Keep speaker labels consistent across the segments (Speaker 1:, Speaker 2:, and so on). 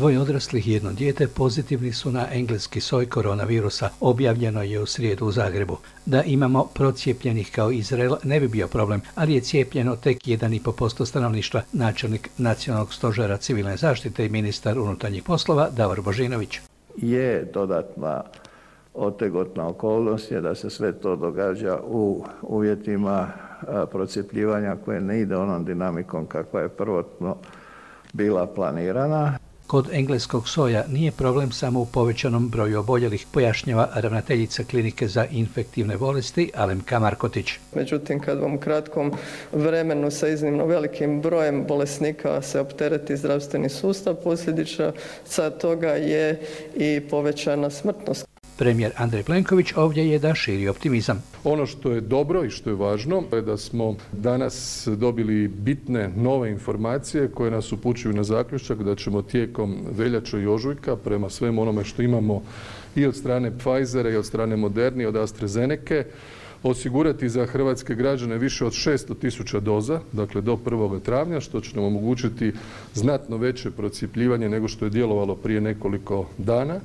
Speaker 1: 2 odraslih i 1 dijete pozitivni su na engleski soj koronavirusa, objavljeno je u srijedu u Zagrebu. Da imamo procijepljenih kao Izrael ne bi bio problem, ali je cijepljeno tek 1,5% stanovništva, načelnik Nacionalnog stožera civilne zaštite i ministar unutarnjih poslova Davor Božinović.
Speaker 2: Je dodatna otegotna okolnost je da se sve to događa u uvjetima procjepljivanja koje ne ide onom dinamikom kakva je prvotno bila planirana.
Speaker 1: Kod engleskog soja nije problem samo u povećanom broju oboljelih, pojašnjava ravnateljica klinike za infektivne bolesti Alemka Markotić.
Speaker 3: Međutim, kad vam u kratkom vremenu sa iznimno velikim brojem bolesnika se optereti zdravstveni sustav, posljedica toga je i povećana smrtnost.
Speaker 1: Premijer Andrej Plenković ovdje je da širi optimizam.
Speaker 4: Ono što je dobro i što je važno je da smo danas dobili bitne nove informacije koje nas upućuju na zaključak da ćemo tijekom veljače i ožujka prema svemu onome što imamo i od strane Pfizera i od strane Moderni i od AstraZenece osigurati za hrvatske građane više od 600.000 doza, dakle do 1. travnja, što će nam omogućiti znatno veće procjepljivanje nego što je djelovalo prije nekoliko dana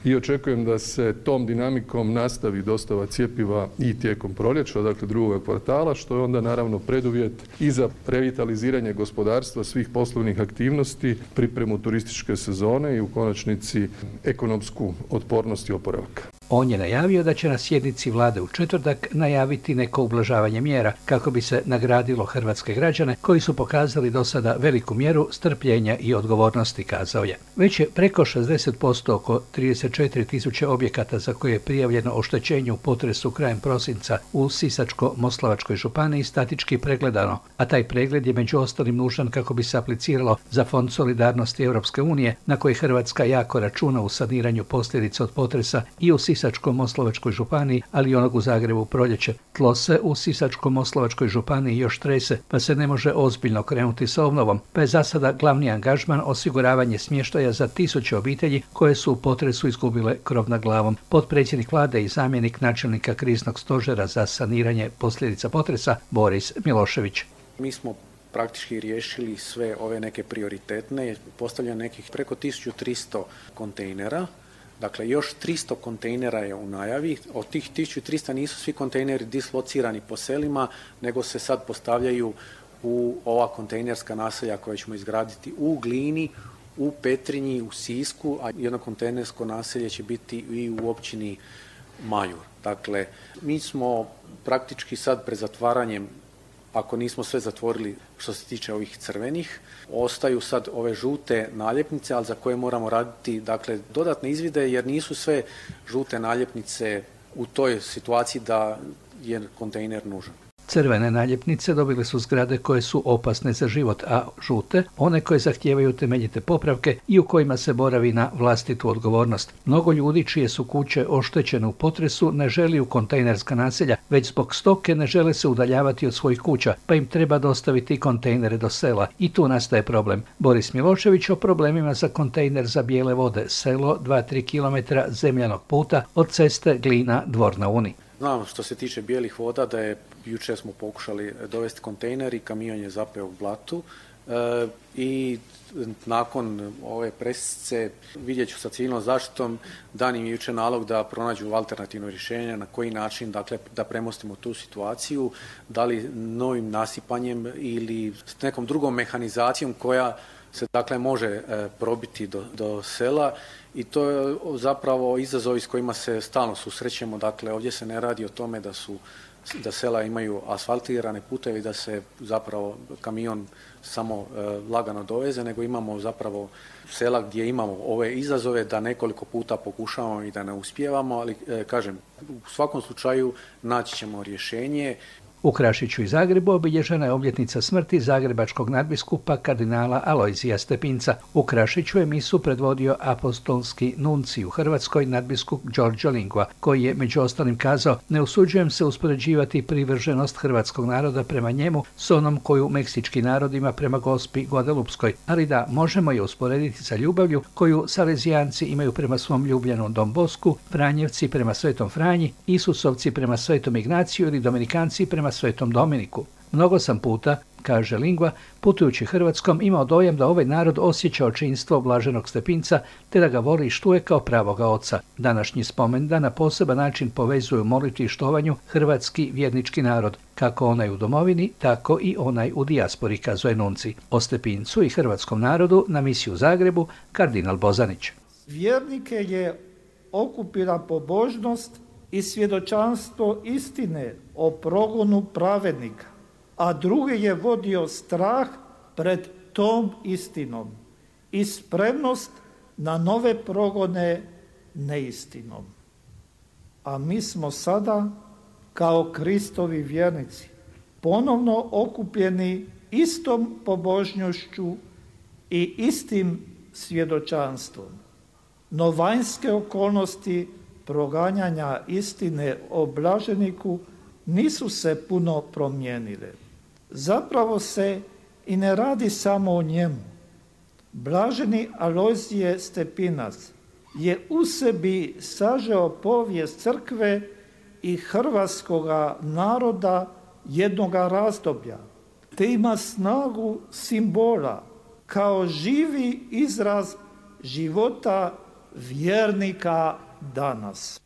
Speaker 4: i očekujem da se tom dinamikom nastavi dostava cjepiva i tijekom proljeća, dakle drugog kvartala, što je onda naravno preduvjet i za revitaliziranje gospodarstva, svih poslovnih aktivnosti, pripremu turističke sezone i u konačnici ekonomsku otpornost i oporavak.
Speaker 1: On je najavio da će na sjednici vlade u četvrtak najaviti neko ublažavanje mjera kako bi se nagradilo hrvatske građane koji su pokazali do sada veliku mjeru strpljenja i odgovornosti, kazao je. Već je preko 60% oko 34.000 objekata za koje je prijavljeno oštećenje u potresu krajem prosinca u Sisačko-moslavačkoj županiji statički pregledano, a taj pregled je među ostalim nužan kako bi se apliciralo za Fond solidarnosti Europske unije na koji Hrvatska jako računa u saniranju posljedica od potresa i u Sisačko-moslavačkoj županiji, ali i onog u Zagrebu u proljeće. Tlo se u Sisačko-moslavačkoj županiji još trese, pa se ne može ozbiljno krenuti sa obnovom, pa je za sada glavni angažman osiguravanje smještaja za 1000 obitelji koje su u potresu izgubile krov nad glavom. Potpredsjednik vlade i zamjenik načelnika kriznog stožera za saniranje posljedica potresa Boris Milošević.
Speaker 5: Mi smo praktički riješili sve ove neke prioritetne, postavljeno nekih preko 1300 kontejnera. Dakle, još 300 kontejnera je u najavi. Od tih 1300 nisu svi kontejneri dislocirani po selima, nego se sad postavljaju u ova kontejnerska naselja koja ćemo izgraditi u Glini, u Petrinji, u Sisku, a jedno kontejnersko naselje će biti i u općini Majur. Dakle, mi smo praktički sad pred zatvaranjem, ako nismo sve zatvorili što se tiče ovih crvenih, ostaju sad ove žute naljepnice, ali za koje moramo raditi dakle, dodatne izvide jer nisu sve žute naljepnice u toj situaciji da je kontejner nužan.
Speaker 1: Crvene naljepnice dobile su zgrade koje su opasne za život, a žute one koje zahtijevaju temeljite popravke i u kojima se boravi na vlastitu odgovornost. Mnogo ljudi čije su kuće oštećene u potresu ne želi u kontejnerska naselja, već zbog stoke ne žele se udaljavati od svojih kuća, pa im treba dostaviti kontejnere do sela i tu nastaje problem. Boris Milošević o problemima za kontejner za bijele vode, selo 2-3 km zemljanog puta od ceste Glina Dvor na Uni.
Speaker 5: Znam što se tiče bijelih voda da je jučer smo pokušali dovesti kontejner i kamion je zapeo u blatu i nakon ove presice vidjet ću sa civilnom zaštitom, dan im je jučer nalog da pronađu alternativno rješenje na koji način dakle, da premostimo tu situaciju, da li novim nasipanjem ili s nekom drugom mehanizacijom koja se dakle može probiti do sela i to je zapravo izazovi s kojima se stalno susrećemo. Dakle, ovdje se ne radi o tome da sela imaju asfaltirane puteve i da se zapravo kamion samo lagano doveze, nego imamo zapravo sela gdje imamo ove izazove da nekoliko puta pokušavamo i da ne uspijevamo, ali kažem, u svakom slučaju naći ćemo rješenje.
Speaker 1: U Krašiću i Zagrebu obilježena je obljetnica smrti zagrebačkog nadbiskupa kardinala Alojzija Stepinca. U Krašiću je misu predvodio apostolski nuncij u Hrvatskoj nadbiskup Giorgio Lingua, koji je među ostalim kazao: ne usuđujem se uspoređivati privrženost hrvatskog naroda prema njemu s onom koju meksički narod ima prema Gospi Guadalupskoj, ali da možemo je usporediti sa ljubavlju koju Salezijanci imaju prema svom ljubljenu Don Bosku, Franjevci prema Svetom Franji, Isusovci prema Svetom Ignaciju ili Dominikanci prema Svetom Dominiku. Mnogo sam puta, kaže Lingua, putujući Hrvatskom imao dojam da ovaj narod osjeća očinstvo blaženog Stepinca te da ga voli i štuje kao pravoga oca. Današnji spomendan na poseban način povezuju molitvi i štovanju hrvatski vjernički narod, kako onaj u domovini, tako i onaj u dijaspori, kazuje nunci. O Stepincu i hrvatskom narodu na misiji u Zagrebu kardinal Bozanić.
Speaker 6: Vjernike je okupila pobožnost i svjedočanstvo istine o progonu pravednika, a druge je vodio strah pred tom istinom i spremnost na nove progone neistinom. A mi smo sada, kao Kristovi vjernici, ponovno okupljeni istom pobožnošću i istim svjedočanstvom. No vanjske okolnosti proganjanja istine o blaženiku nisu se puno promijenile. Zapravo se i ne radi samo o njemu. Blaženi Alojzije Stepinac je u sebi sažeo povijest crkve i hrvatskoga naroda jednoga razdoblja, te ima snagu simbola kao živi izraz života vjernika danas.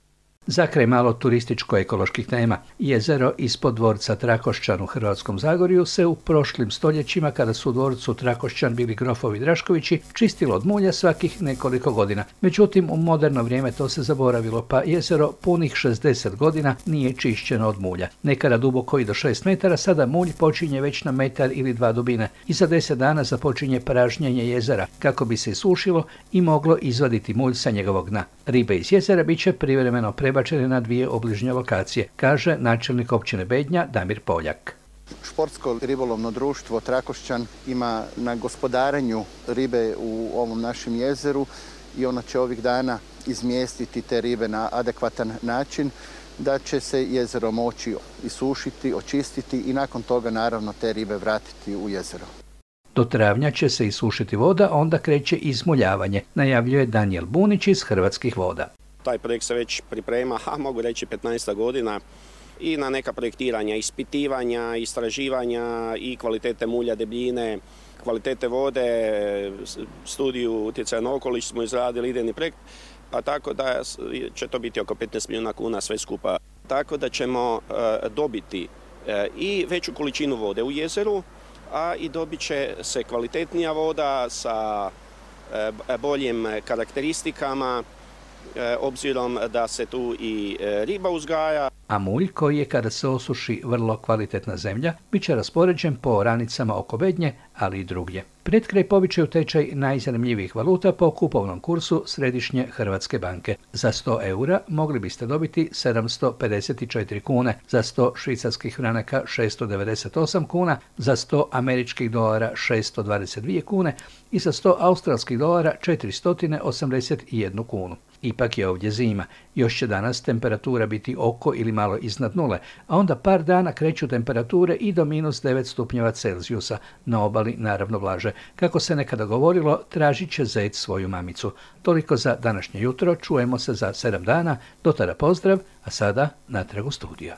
Speaker 1: Za kraj malo turističko-ekoloških tema. Jezero ispod dvorca Trakošćan u Hrvatskom Zagorju se u prošlim stoljećima, kada su u dvorcu Trakošćan bili grofovi Draškovići, čistilo od mulja svakih nekoliko godina. Međutim, u moderno vrijeme to se zaboravilo, pa jezero punih 60 godina nije čišćeno od mulja. Nekada duboko i do 6 metara, sada mulj počinje već na metar ili 2 dubine. I za 10 dana započinje pražnjenje jezera, kako bi se isušilo i moglo izvaditi mulj sa njegovog dna. Ribe iz jezera bit će privremeno prebačene na 2 obližnje lokacije, kaže načelnik općine Bednja Damir Poljak.
Speaker 7: Športsko ribolovno društvo Trakošćan ima na gospodarenju ribe u ovom našem jezeru i ono će ovih dana izmjestiti te ribe na adekvatan način, da će se jezero moći isušiti, očistiti i nakon toga naravno te ribe vratiti u jezero.
Speaker 1: Do travnja će se isušiti voda, onda kreće izmuljavanje, najavljuje Danijel Bunić iz Hrvatskih voda.
Speaker 8: Taj projekt se već priprema, mogu reći 15 godina, i na neka projektiranja, ispitivanja, istraživanja i kvalitete mulja, debljine, kvalitete vode, studiju utjecaja na okoliš smo izradili, idejni projekt, pa tako da će to biti oko 15 milijuna kuna sve skupa. Tako da ćemo dobiti i veću količinu vode u jezeru, a i dobit će se kvalitetnija voda sa boljim karakteristikama, obzirom da se tu i riba uzgaja.
Speaker 1: A mulj, koji je kada se osuši vrlo kvalitetna zemlja, bit će raspoređen po oranicama oko Bednje, ali i drugdje. Pred kraj povićaju tečaj najzanimljivijih valuta po kupovnom kursu Središnje Hrvatske banke. Za 100 eura mogli biste dobiti 754 kune, za 100 švicarskih franaka 698 kuna, za 100 američkih dolara 622 kune i za 100 australskih dolara 481 kunu. Ipak je ovdje zima. Još će danas temperatura biti oko ili malo iznad nule, a onda par dana kreću temperature i do -9 stupnjeva Celzijusa, na obali naravno blaže. Kako se nekada govorilo, tražit će zec svoju mamicu. Toliko za današnje jutro, čujemo se za 7 dana, do tada pozdrav, a sada natrag u studio.